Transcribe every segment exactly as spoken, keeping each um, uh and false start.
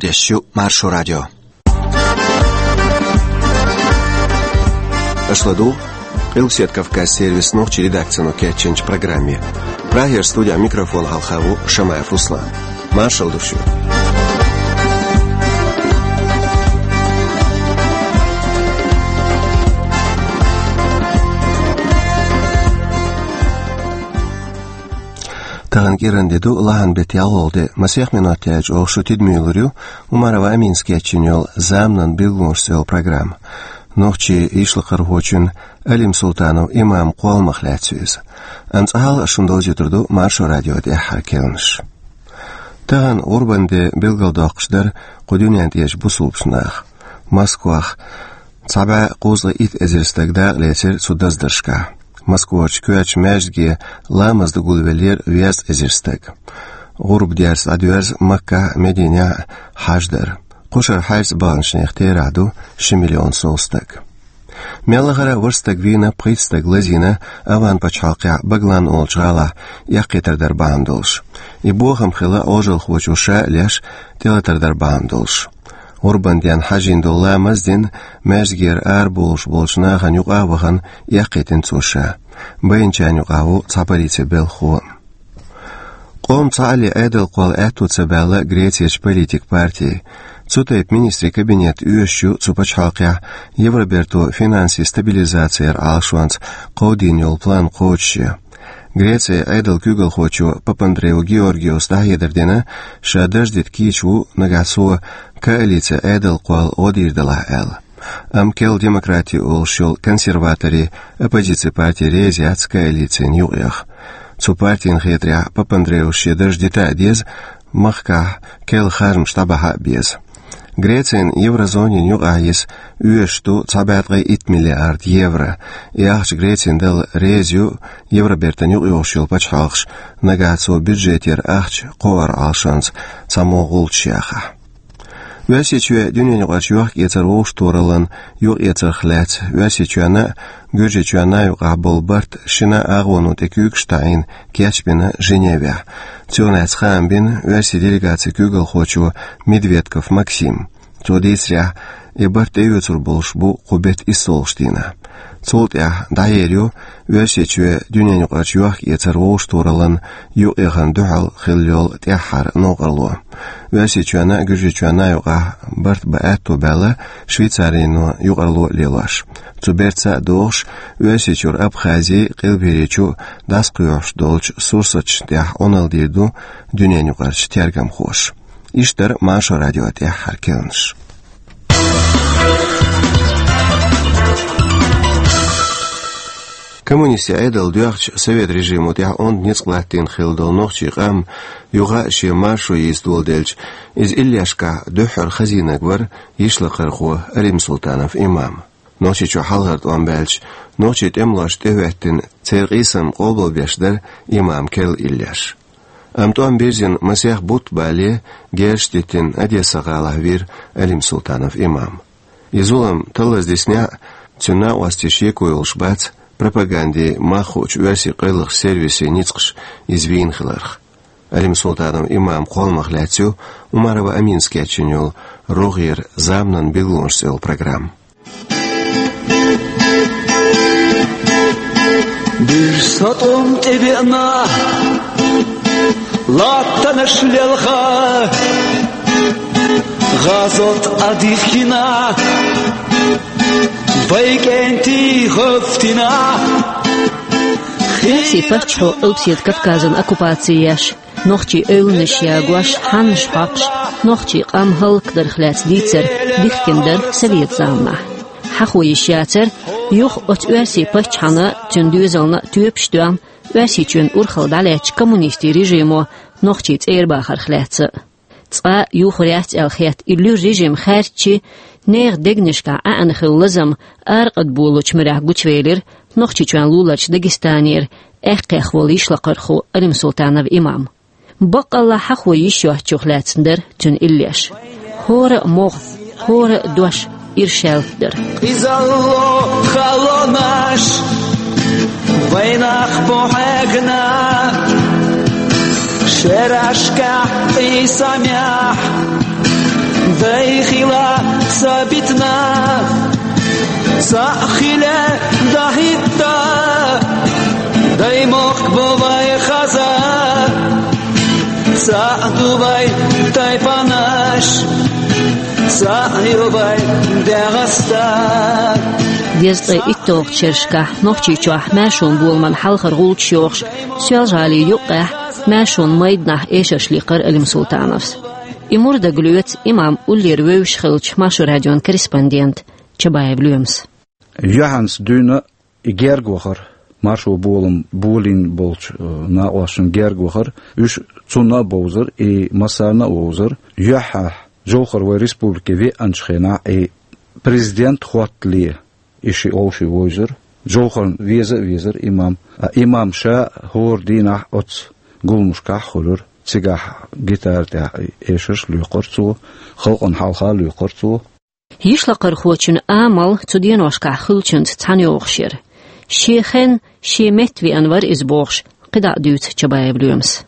Дешю Маршо радио. Аша ладу Къилбаседа Кавказан сервисан нохчийн редакцино кечйинчу программе. Прагера студехь микрофон хьалха ву Шамаев Руслан. Маршалла ду шуьга. Тахана кӀиранде ду, лахьан беттан ялхолгӀа де. Масех минот яьлча оха шу тидамуьйлур ю Умарова Аминас кечйина йолу «Заманан билгалонаш» цӀе йолу программа. Нохчийн йишлакхархочун Алим Султанов Имаман кхолламах лаьцна ю иза. Амма цкъа хьалха ас шуна довзуьйтур ду Маршо радион тӀаьххьара керланаш. Тахана гӀурбан де билгалдоккхуш дара кху дуьнен тӀерачу бусалба наха. Москвахь цхьа бӀе кхузткъе итт эзар стаг дакъалецира цу даздаршкахь. Москварчу коьртачу маьждиге ламаз дан гулвеллера везткъа эзар стаг. ГӀурба дерза дӀадоьрзу Маккахь а, Мединехь а хьаждар. Кху шарахь хьаьрца баханчу нехан терахь ду ши миллион сов стаг. Мел лахара а ворхӀ стаг вийна, пхийтта стаг лазийна Афган пачхьалкхехь Баглан олучу гӀалахь эккхийтар дар бахьана долуш. И бохам хилла Ӏожалхочо ша а леш, тӀелатар дар бахьана долуш. ГӀурбан денна хьажийна долу ламаз дина, маьждигера арабовлуш болчу нахана юкъа а вахана, эккхийтина цо ша. Байначарна юкъахь ву цхьа полицин белхахо. Къоман цхьаалле Ӏедал кхолла аьтто ца баьлла Грецерчу политикан партийн. Цу тайпа министрийн кабинет оьшуш ю цу пачхьалкхехь Евроберто финансийн стабилизаци яран Ӏалашонца кховдийна йолу план кхочушъян. Грецин Ӏедалан куьйгалхочо Папандреу Георгиус дӀахьедар дина, ша дарж дита кийча ву, нагахь цо коалици Ӏедал кхолла гӀо дийр делахь аьлла. Амма керла демократи олуш йолу консерваторийн оппозицин парти реза яц коалицина юкъаяха. Цу партина хетарехь, Папандреус шен дарж дита а деза, махкахь керла харжамаш дӀабахьа а беза. Грецина еврозонина юкъахь йиса оьшуш ду цхьа бӀе ткъе итт миллиард евро. И ахча Грецина дала реза ю Евробертана юкъайогӀуш йолу пачхьалкхаш, нагахь цо бюджетера ахча кхоар Ӏалашонца цхьаммо гӀулчаш яхахь. Оьрсийчоь дуьненаюкъарчу йохк-эцар вовшахтохараллан юкъаэцарх лаьцна Оьрсийчоьнна а, Гуьржийчоьнна а юкъахь болу барт шина агӀоно тӀе куьйгаш таӀийна кечбина Женевехь. Цунах лаьцна хаам бина оьрсийн делегацин куьйгалхочо Медведков Максима. Цо дийцарехь, и барт тӀеоьцур болуш бу кху беттан иссолгӀачу дийнахь. Цул тӀаьхьа дӀаер ю Оьрсийчоь дуьненаюкъарчу йохк-эцар вовшахтохараллан юкъаяхана дуьхьал хилла йолу тӀаьххьара новкъарло. Оьрсийчоьнна а, Гуьржийчоьнна а юкъахь барт бан аьтто баьлла Швейцарино юкъарло а лелош. Цу бертаца а догӀуш, Оьрсийчуьра Абхази, Къилбаерийчу дӀасакхоьхьуш долчу сурсаташна тӀехь Ӏуналла дийр ду дуьненаюкъарчу тергамхоша. Иштта дара Маршо радион тӀаьххьара керланаш. Коммунистийн Ӏедал доьхча, совет режимо тӀехь онда ницкъ латтийна хилла долу нохчийн къам юха а шен маршо йийца доладелча, иза иллешкахь дуьххьара хазийнарг вара йишлакхархо Алим Султанов Имам. Нохчийчохь хьалхара тӀом баьлча, нохчийн тӀемалошна тӀехӀоьттина церан къийсам къобалбеш дара Имаман керла иллеш. Амма тӀом бирзина масех бутт бале, герзаш диттина Одесса-гӀалахь вийра Алим Султанов Имам. И зулам таллаза диснехь а, цуьнан накъостий шеко йолуш бац пропагандин мах хуучу оьрсийн къайлаха сервисийн ницкъаша иза вийна хиларх. Алим Султанов Имаман кхолламах лаьцна ю Умарова Аминас кечйина йолу рогӀера «Заманан билгалонаш» цӀе йолу программа. Бир сатом тӀебеана, латтанаш лелха, гӀазот а дихкина, вай кӀентий гӀевттина. Оьрсийн паччахьо Къилбаседа Кавказан оккупаци еш, нохчийн эвланаш ягош, хьаннаш хьокхуш, нохчийн къам хӀаллакдарх лаьцна дийцар дихкина дара совет заманахь. Хьахо йиш яцара юха оцу оьрсийн паччахьна а, цуьнан доьзална а тоьпаш доьхна, Оьрсийчоьнан урхалла дӀалаьцначу коммунистийн режимо нохчий цӀера бахарх лаьцна а. Цкъа а юхур яц аьлла хетта и луьра режим хаьрччи, нехан дегнашкахь Ӏаьана хилла лазам аракъадболучу муьрехь гучувелира Нохчийчоьнан луларчу Дагестанера аьккхех волу йишлакхархо Алим Султанов Имам. Баккъалла хьахо йиш йоцучух лаьцна дара цуьнан иллеш. ХӀора а могӀа, хӀора а дош иршаьлларг дара. Къизалло халонаш вайнах бу хьегна, шерашкахь къийсамехь Дай хила сабитна, са хила дахитта, дай мохк бо вай хаза, са дувай тайпанаш, са ювай дагъаста. Дезткъе итталгӀачу шерашкахь Нохчийчохь маьршон боламан хьалхара гӀулчаш йохуш, Соьлжа-ГӀалин юккъехь маьршонан майданахь эшарш лийкхира Алим Султановс. И мур дагалоьцу имам уллера вевзаш хиллачу Маршо радион корреспондента Чабаев Лоьмас. Юьхьанца дуьйна и герга вахара, маршо болам болийна болчу, э, накъосташна герга вахара. Уьш цунна а бовзара, и массарна а вовзара. Юьххьехь, Жовхар вай республике веанчу хенахь, и президент хӀоттале, и ши олхи вовзара. Жовхарна веза а везара имам. А имам ша хӀора дийнахь оцу гуламашкахь а хуьлура. Цигахь гитара тӀехь эшарш лоькхура цо, халкъана хьалха а лоькхура цо. Йишлакхархочун амал цу деношкахь хуьлучуьнца цхьаьна йогӀуш яра. Шен хенна, шен метта веана вара иза бохуш, кхидӀа а дуьйцу Чабаев Лоьмас.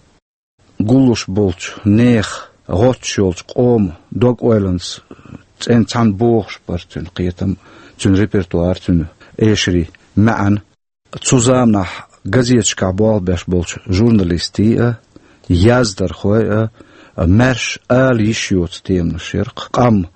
Гуллуш болчу нехан, гӀоттуш йолчу къоман дог-ойланца цӀена цхьаьна богӀуш бара цуьнан кхетам, цуьнан репертуар, цуьнан эшарийн маьӀна. Цу заманахь газеташкахь болх беш болчу журналистийн а, яздархойн а, а, маьрша ала йиш йоцу теманаш яра-кх. Къам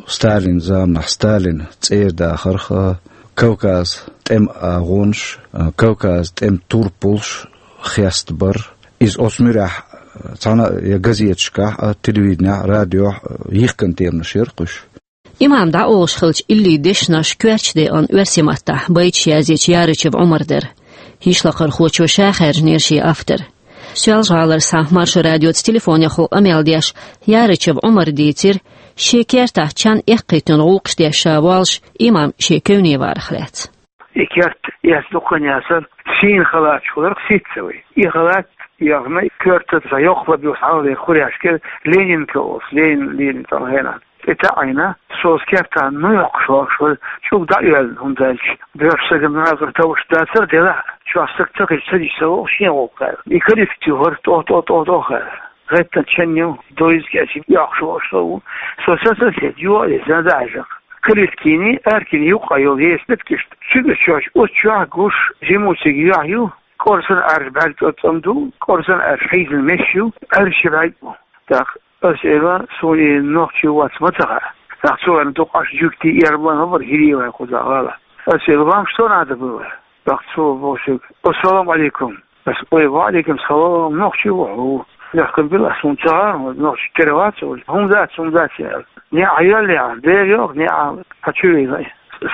Сталинан заманахь, Сталинан цӀера дахарх, а, Кавказан тӀеман агӀонаш, а, Кавказан тӀеман турпалш хестабар. Иза оцу муьрехь, а, цхьана а я газеташкахь а, телевиденехь а, радиохь а, а, йихкина теманаш яра-кх уьш. Имам дӀаолуш хиллачу илли дешнаш коьртачу декъана оьрсийн маттахь байташ язйечу Ярычев Ӏумаран дара. Йишлакхархочо ша хаьржинера шен автор. Соьлжа-ГӀалара схьа Маршо радиоца телефонехула къамел деш, Ярычев Ӏумара дийцира, шен кертахь чан эккхийтина гӀуллакхаш деш ша воллуш, имам шен кевне варах лаьцна. И керт эцна дуккха а яцара, сийна халаташ хиларх сицца вай. И халат яхна, коьртаца йоккха лаб йолуш хьалхалера хуръяш кера, Ленинка олуш, Ленин, Ленин цӀа хенахь. ТӀе таӀийна, со оцу кертахь ну йоккхуш вахаш вара, чӀуг дӀа а йоьллина, хӀунда аьлча боьрша стагана накъара товш дацара, делахь а чохь стаг ца хилча, ца дича ца вогӀу шен гӀуллакх аьлла. И коллектив хӀара тӀо-тӀо-тӀо-тӀо хаьара. ГӀеттан чен ю, дойза кечи йоккхуш вахаш со ву. Со сацалла хета, юха а деза, дӀа а хьаьжна. Калиткини, Аркини юккъе йолу еса беткишта. Цуьнга чохь, оцу чохь гуш, жиму цига юьхь ю, кӀорсан Ӏаьржа бӀаьрг цӀоцкъам ду, кӀорсан Ӏаьржа хьийзина меш ю, Ӏаьржа ши бӀаьрг бу. ТӀаккха ас элира, суна и нохчи вац ма ца хаьа. ТӀаккха цо аьлла, дукха Ӏаш жуьгтий, эрна бан хӀабар хӀирий вай кхузахь гӀала. Ас элира, вамаш со надо было. ТӀаккха цо боху шуьга: «Ассаламу Ӏалайкум». Ас: «Ой, ва Ӏалайкум салам, нохчи ву хьо». Лехкам била, суна ца хаьара, нохчи тера вац, хӀума дац, хӀума дац, аьлла. НеӀ хьайоьллехьа, бер йоху, неӀ хьан чу вийна.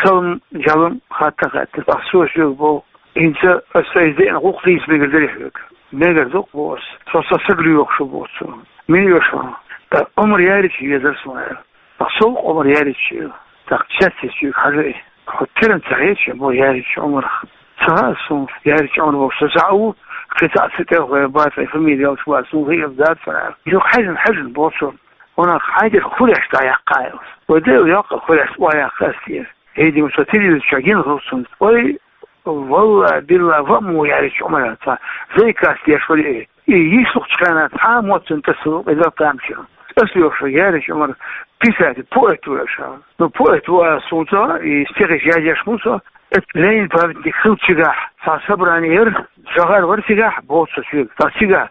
Салам-жалам хатта хаьттира. ТӀаккха цо шуьга боху: «ХӀинца аса сайца деана гӀуллакх дийца мегар дарий хьоьга?» «Мегар ду-кх», — боху ас. «Со сан саг лоьхуш ву», — боху цо. «Мила лоьхуш ву?» «ТӀаккха Ӏумар Ярича везара суна», — аьлла. ТӀаккха со Ӏумар Ярича везара. ТӀаккха цецъяьлча цуьнга хьажа и. Хьо теран ца хеташ, бо Ярича Ӏумарах. Ца хаьа суна, Ярича Ӏумар бохуш со схьа а ву, кхин цхьаъ ца тӀе вахана бац, вайн фамилия яллаш бац, суна хиъна дац, ца хаьа. Юха хьаьжна, хьаьжна боху цо. Ванах, хьайн дерг хуреш дӀа яккха аьлла. Вай Дела йоккха хуреш охьаяккха ас тера. ХӀей, дима, со телевизор чохь гина хилла цунна. Ой, валла, билла, ва мо Ярича Ӏумар цхьа зайкас деш вара и. И йишлахчу хенахь цхьа а мотт цуьнан тасалла кхидӀа тамашийна. Ас лоьхуш вара Ярича Ӏумар, писатель, поэт ву аша. Ну, поэт ву аса хӀума ца хаьа, и стихаш язъеш хӀума ца хаьа. Эцу Ленин памятник хиллачу цигахь цхьа собрани яра, жагӀар вара цигахь, боху со шуьга. Ткъа цигахь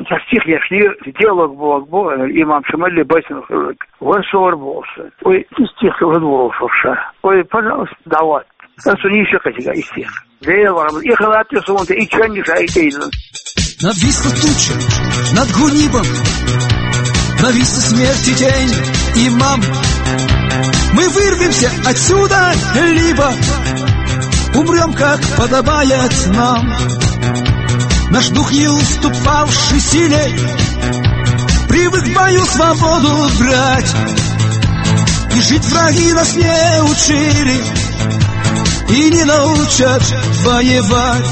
цхьа стих ешнера, диалог боху, боху, имам Шамалли байтанаш хилларг. Вара со вара боху со. Ой, и стих хила вара ша. Ой, пожалуйста, дӀаватта. Аса нийса кхетига и стих. Дела вахана, и халат тӀе суна тӀе, и чоьннаш а и тӀе йина. Нависла туча над Гунибом, нависла смерти тень, имам. Мы вырвемся отсюда, либо умрём, как подобает нам. Наш дух не уступавший силе, привык в бою свободу брать. И жить враги нас не учили, и не научат воевать.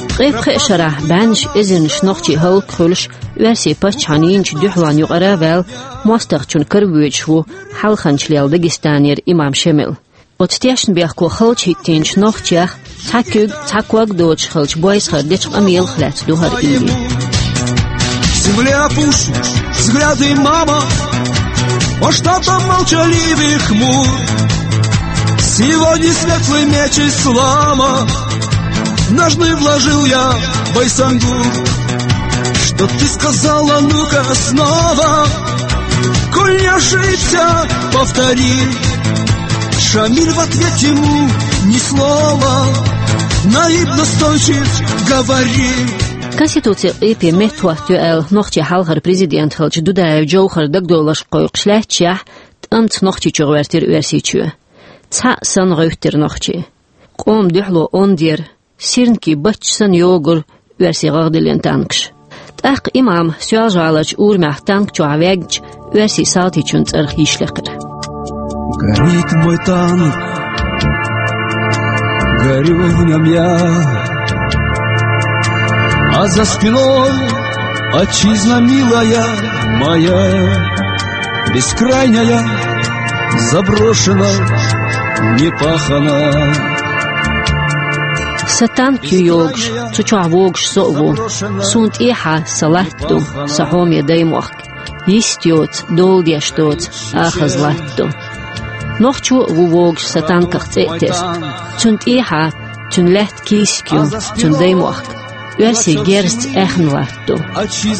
Ткъе пхеа шарахь бӀеннаш эзарнаш нохчий хӀаллакьхуьлуш, оьрсийн паччахьан йинчу дуьхьалонна юкъара а ваьлла, мостагӀчун кара воьдуш ву хьалханчу лелла Дагестанера имам Шемал. Оцу тешнабехко халча хӀиттийначу нохчех цхьа куьг, цхьа ког доцуш хиллачу бойсахара дечу къамелах лаьцна ду хӀара илли. Земля опущена, взгляды мама. По штатам молчаливый хмур. Сегодня светлый меч ислама ножны вложил я в Байсангур. Что ты сказала, ну-ка снова? Коль не ошибся, повтори. Шамиль в ответ ему ни слова. Наиб настойчив, говори. Конституци къепе меттахӀотта ю аьлла, нохчий хьалхара президент хилча Дудаев Джовхар дагадовларш кхойкхуш лаьтташехь, тӀамца Нохчийчу гӀоьртира Оьрсийчоь. Цхьаъ санна гӀевттира нохчий. Къоман дуьхьало онда яра, сирникий бачча санна йогура оьрсий гӀагӀдиллина танкаш. ТӀаккха имам Соьлжа-ГӀаларчу урамехь танк чохь ваьгначу оьрсийн салтичун цӀарах йиш лекхира. Горит мой танк, горю в нём я. А за спиной отчизна милая моя, бескрайняя, заброшена, непахана. Сан танк ю йогуш, цу чохь вогуш со а ву. Суна тӀехьа сан латта ду, сан хьоме даймохк. Йист йоцу, дола деш доцу, ахаза латта ду. Нохчо а ву вогуш сан танках цӀе а тесна. Цунна тӀехьа, цуьнан лаьтта кийсак ю, цуьнан даймохк. Оьрсийн герзаца аьхна латта ду.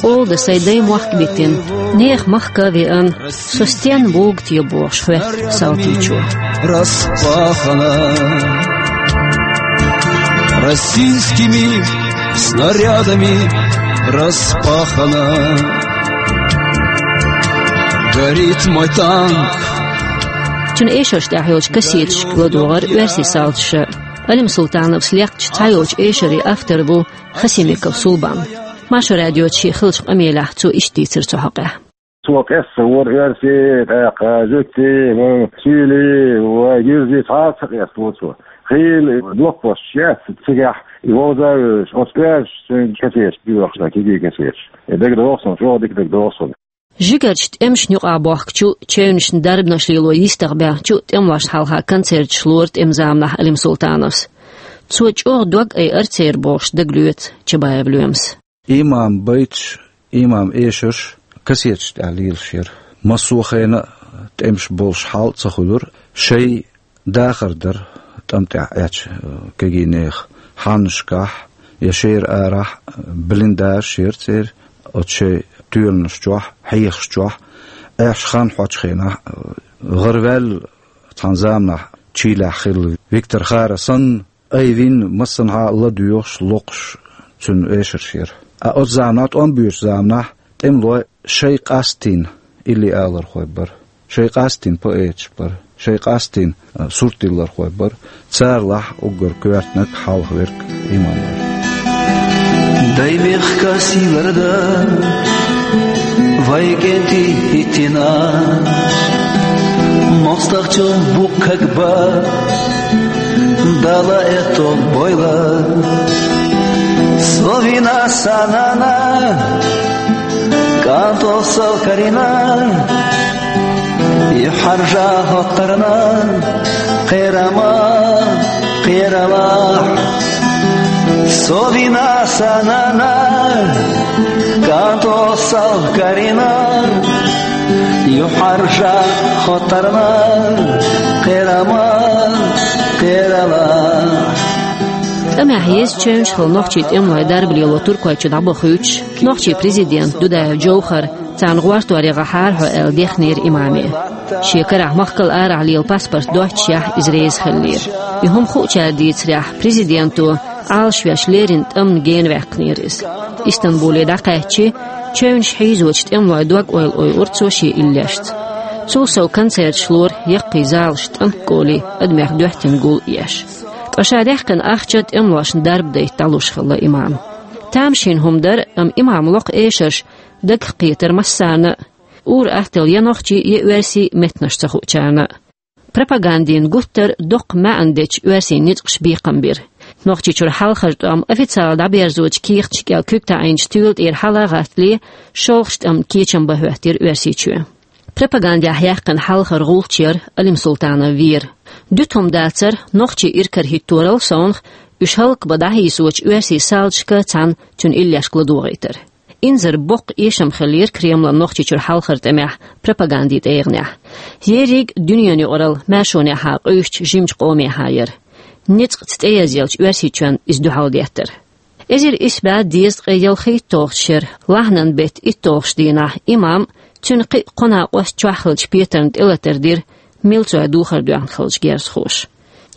Къола дан сайн даймохк а битина, нехан махка а веана, со стенна вугу те бохуш хоьтту салтичо. Распахана. Российскими снарядами распахана. Горит мой танк. Цуьнан эшарш тӀехь йолчу кассеташка ладогӀара оьрсийн салташа. Алим Султановс лекхачу цхьайолчу эшарийн автор ву Хасимиков Сулбан. Маршо радиоца шен хиллачу къамелехь цо иштта дийцира цу хьокъехь. Цо къестар вара оьрси, тӀаккха жуьгти, ва суьйли, ва гирзи, цхьа а ца къестало цо. Хийла блокпосташ яц цигахь, и вовза а вевзаш, оцу оьрсашца цуьнга кассеташ доьхуш дан, кегий кассеташ. И дагадогӀу суна, чӀогӀа дика дагадогӀу суна. Жигарчу тӀемашна юкъахь бохкучу, чевнашна дарбанаш лело йистах баьхначу тӀемалошна хьалха концерташ лора тӀеман заманахь Алим Султановс. Цо чӀогӀа дог айара церан бохуш дагалоьцу Чабаев Лоьмас. Имам байташ, имам эшарш кассеташ тӀехь лелаш яра. Массо а хенахь тӀемаш болуш хьал а ца хуьлура, шайн дахар дара тӀам тӀехь Ӏечу, э, кегийнехан хьаннашкахь я шера арахь, э, блиндажаш яра церан, оцу шайн тоьланаш чохь, хьехаш чохь, аьшка хан хьочу хенахь, э, гӀараваьлла цхьана заманахь Чилехь хилла Виктор Хара санна, айвина массанхьа а ладоьгӀуш, локхуш цуьнан эшарш яра. Ткъа оцу заманахь, тӀом боьдучу заманахь, тӀемалой шайн къастийна илли алархой бара, шайн къастийна поэташ бара, шайн къастийна, а, суртдиллархой бара, царалахь уггар коьртаниг, хьалхаверг имам вара. Дай мехкан сийларг дан, вай кӀентий хӀиттина, мостагӀчун буккаг бан, Дала этто бойла. Со вина сан нана, кӀанто сов карийна, юьхьӀаьржа хӀоттарна, кхерама, кхералахь. Со вина сан нана, кӀанто сов карийна, юьхьӀаьржа хӀоттарна, кхерама, кхералахь. ТӀамехь еза чевнаш хилла нохчийн тӀемалой дарба лело Туркойчу дӀабахуьйтуш, нохчийн президент Дудаев Джовхар царна гӀортор яхьара хьо аьлла дехнера имаме. Шен карахь махкал арахь лела паспорт доццушехь иза реза хиллера. И хӀума хуучара дийцарехь, президенто Ӏалашвеш леррина тӀамна гена ваьккхинера иза. Истанбуле дӀакхаьччи, чевнаш хьийзочу тӀемалойн дог-ойла ойура цо шен иллешца. Цул сов концерташ лора яккхий залаш тӀанкколи адамех доьттина гул а еш. Ткъа ша даьккхина ахча тӀемалошна дарба дайта дӀалуш хилла имам. Тамашийна хӀума дара, амма имам локху эшарш дагах кхетара массарна а, ур-атталла я нохчий, я оьрсий меттанаш ца хуучарна а. Пропагандин гуттар а доккха маьӀна дечу оьрсийн ницкъаша бекхам бира. Нохчийчуьра хьалхара тӀом официалан дӀаберзочу кехаташкахь куьг таӀийначу туьйла тӀера хьала а гӀаттале, шолгӀачу тӀамна кечам бан хӀоьттира Оьрсийчоь. Пропагандехь яьккхина хьалхара гӀулч яра Алим Султанов вер. Дуьту хӀума дацара нохчий иракарахӀитторал совнах, уьш хӀаллакбан дӀахьийсочу оьрсийн салташка цхьаьна цуьнан иллешка ладогӀийтар. инзара боккха эшам хиллера Кремлан Нохчийчуьра хьалхара тӀамехь, пропагандин тӀегӀанехь. Ерриг дуьненаюкъаралла маьршонехьа къуьйсучу жимачу къомехьа яра. Ницкъаца тӀеязъеллачу Оьрсийчоьнна иза дуьхьал деттара. Эзар исс бӀе дезткъе ялхитталгӀачу шеран лахьанан беттан итталгӀачу дийнахь имам, цуьнан кхин а кхо накъост чохь хиллачу петарна тӀелатар дира милцойн духар доьхна хиллачу герзахоша.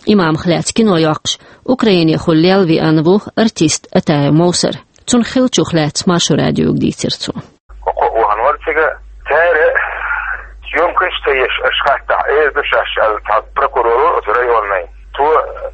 Имамах лаьцна кино йоккхуш, Украинехула лелла веана ву артист Атаев Мовсар. Цунах хиллачух лаьцна Маршо радиога дийцира цо. Кхо вахана вара цига. Цара съёмкаш ца еш аша хаттахь, эр ду шаьш аьлла, цхьа прокурор вара оцу районный. Цо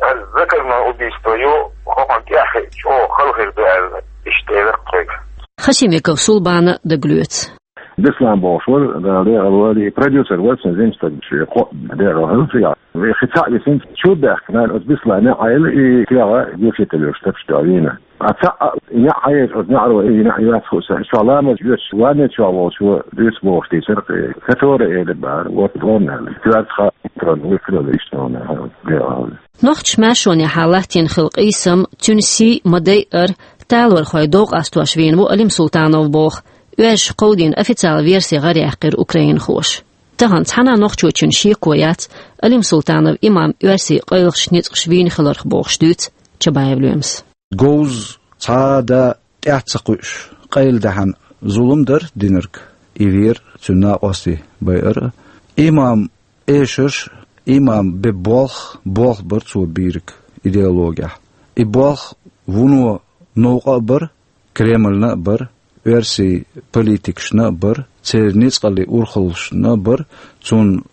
ас заказное убийство ю, хӀокхунна тӀаьхьа чӀогӀа хала хир ду аьлла, иштта элира тхоьга. Хасимиков Сулбана дагалоьцу. Беслан бохуш вара, Дала декъал валийта, продюсер вара цуьнан, жима стаг, шен кхоъ дера хӀара цигахь. Вай хи цхьаъ висина, чу баьхкина, оцу Беслана неӀ Ӏайла и кегӀа гучуьйталуш тапаш дуьйна. А цхьаъ неӀ Ӏайча, оцу неӀаро и неӀ йоьцу хууш, чохь ламаз йоьцуш, ванне чохь волчо дуьйцу бохуш дийцира кхин. Катора элира бара, вот он аьлла. Коьртахь а, вуьйцур вара иштта он аьлла. Нохчаша маьршонехьа латтийна хилла къийсам, цуьнан сий ма-дайъара, талорхой дов къастош вийна ву Алим Султанов боху, оьрсаша кховдийна официалан верси гӀараяьккхира украинхоша. Тахана цхьана а нохчочунна шеко яц, Алим Султанов имам оьрсийн къайлахчу ницкъаша вийна хиларх бохуш дуьйцу Чабаев Лоьмас. Говза цхьа а да тӀаьхьа ца кхуьуш, къайладаьхьна зулам дара динарг, и вера цуьнан накъостий байар а. Имам эшарш, имам бен болх, болх бара цо бийриг идеологехь. И болх вуно новкъа а бара, Кремльна а бара, оьрсийн политикашна а бара, церан ницкъаллин урхаллашна а бара, цунна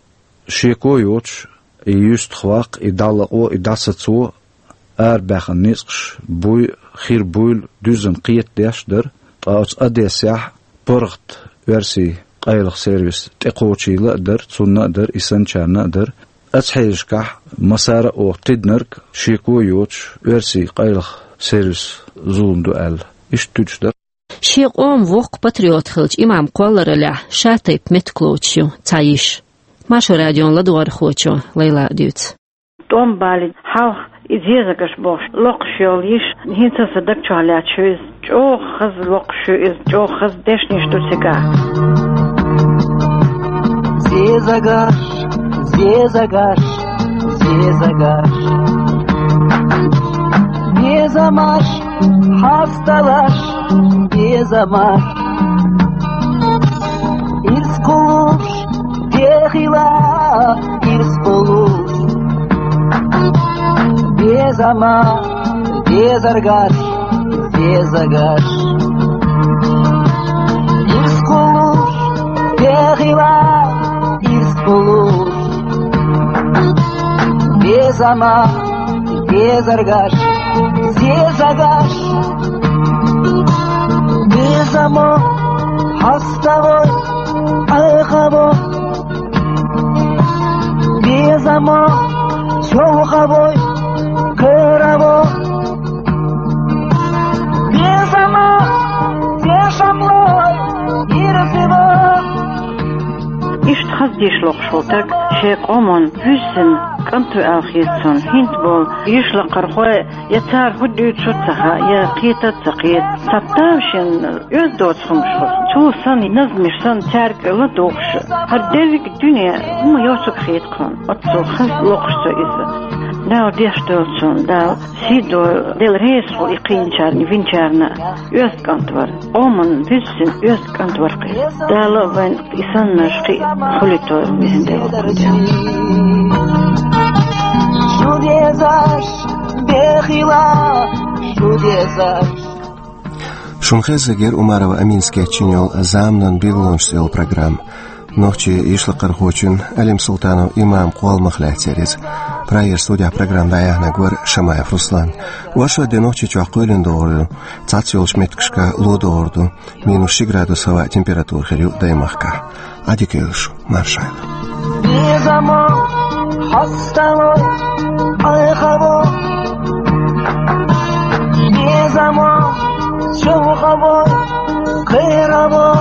шеко а йоцуш, и юьстах ваккха, и дӀалакъо, и дӀасацо арабаьхна ницкъаш буй, хир буйла дуьззина кхетадеш дара, ткъа оцу Одессехь паргӀат оьрсийн къайлаха сервис тӀекхочийла а дара, цунна а дара, и санначарна а дара. Оцу хьелашкахь массара а оха тидинарг шеко а йоцуш, оьрсийн къайлаха сервис зулам ду аьлла, иштта туьдуш дара. Шен къоман воккха патриот хиллачу имаман кхоллараллехь ша тайпа меттиг лоцуш ю цхьа йиша. Маршо радион ладогӀархочо Лайлас дуьйцу. ТӀом балийна хьалха и зезагаш бохуш локхуш йолу йиша, хӀинца а сан даг чохь лаьтташ ю иза. ЧӀогӀа хаза локхуш ю иза, чӀогӀа хаза дешнаш ду цигахь. Зезагаш, зезагаш, зезагаш. Безамаш, хьасталаш, безамаш. Ирс кхуллуш, дехила, ирс кхуллуш. Безамаш, безаргаш, безагаш. Ирс кхуллуш, дехила, ирс кхуллуш. Безамаш, безаргаш, зезагаш. Безамо, хьаставой, айхаво. Безамо, сёлхавой, кыраво. Безамо, дешамлой, ирзиво. Иштта хаза деш локхуш волу стаг шен къоман вуьззина кӀант ву аьлла хета цунна. ХӀинца болу йишлакхархой, я цара хӀун дуьйцу ца хаьа, я кхета ца кхета. Цхьа тавшина оьзда доцу хӀумаш хуьлу. Цо санна, назмаш санна, цаьрга ладугӀуш, хӀара дерриг а дуьне хӀума йоцург хета тхуна. Оццул хаза локхуш цо иза. Дала деш долу цунна, Дала сий дойла, Дела реза хуьлда и кхиъначарна, винчарна. Оьзда кӀант вара, къоман вуьззина оьзда кӀант вара кхин. Дала а вайн и саннарш кхин а хуьлуьйтур везан Дела ву кхин. Шу дезаш, бехила, шу дезаш. Шуна хезнера Умарова Аминас кечйина йолу «Заманан билгалонаш» йолу программа. Нохчийн йишлакхархочун Алим Султанов имаман кхолламах лаьцна яра иза. Прагера студехь программа дӀаяьхьнарг вара Шамаев Руслан. Оршот де Нохчийчохь кхоьлина догӀур ду, цхьацца йолчу меттигашка ло догӀур ду, минус ши градус хӀаваан температура хир ю даймахкахь. Ӏадика йойла шу, маршалла. Безамо, хьаставой, айхаво. Безамо, сёлхавой, кхераво.